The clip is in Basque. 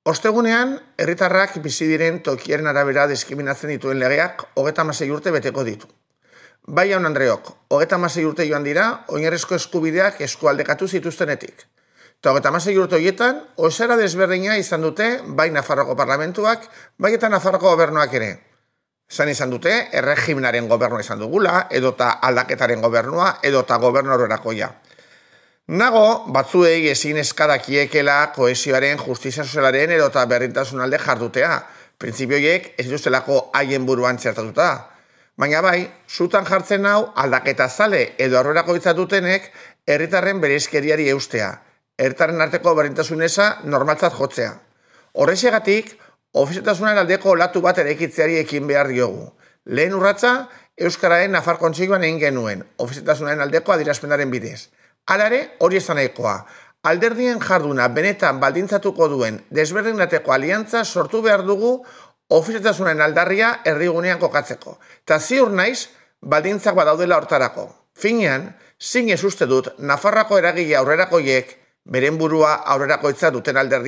Ostegunean, herritarrak bizi diren tokiaren arabera diskriminatzen dituen legeak 36 urte beteko ditu. Bai jaun Andreok, 36 urte joan dira, oinarrizko eskubideak eskualdekatu zituztenetik. Eta 36 urte horietan, osara desberdina izan dute, bai Nafarroko parlamentuak, bai eta Nafarroko gobernuak ere. Izan dute, erregimenaren gobernua izan dugula, edota aldaketaren gobernua, edota gobernu horrerakoia. Nago, batzuei ezin eskadakiekela kohesioaren, justizia sozialaren edota berdintasun alde jardutea. Printzipioiek ez dituztelako haien buruan txertatuta. Baina bai, zutan jartzen hau aldaketa zale edo aurrerako dutenek herritarren bereizkeriari eustea. Herritarren arteko berdintasun eza normaltzat jotzea. Horrexegatik, ofizialtasunaren aldeko olatu bat eraikitzeari ekin behar diogu. Lehen urratsa, Euskararen Nafar Kontseiluan egin genuen, ofizialtasunaren aldeko adierazpenaren bidez. Hala ere, hori ez da nahikoa. Alderdien jarduna benetan baldintzatuko duen desberdinateko aliantza sortu behar dugu ofizialtasunaren aldarria erdigunean kokatzeko. Eta ziur naiz, baldintzak badaudela hortarako. Finean, zinez uste dut, Nafarroako eragile aurrerakoiek, beren burua aurrerakoitza duten alderdi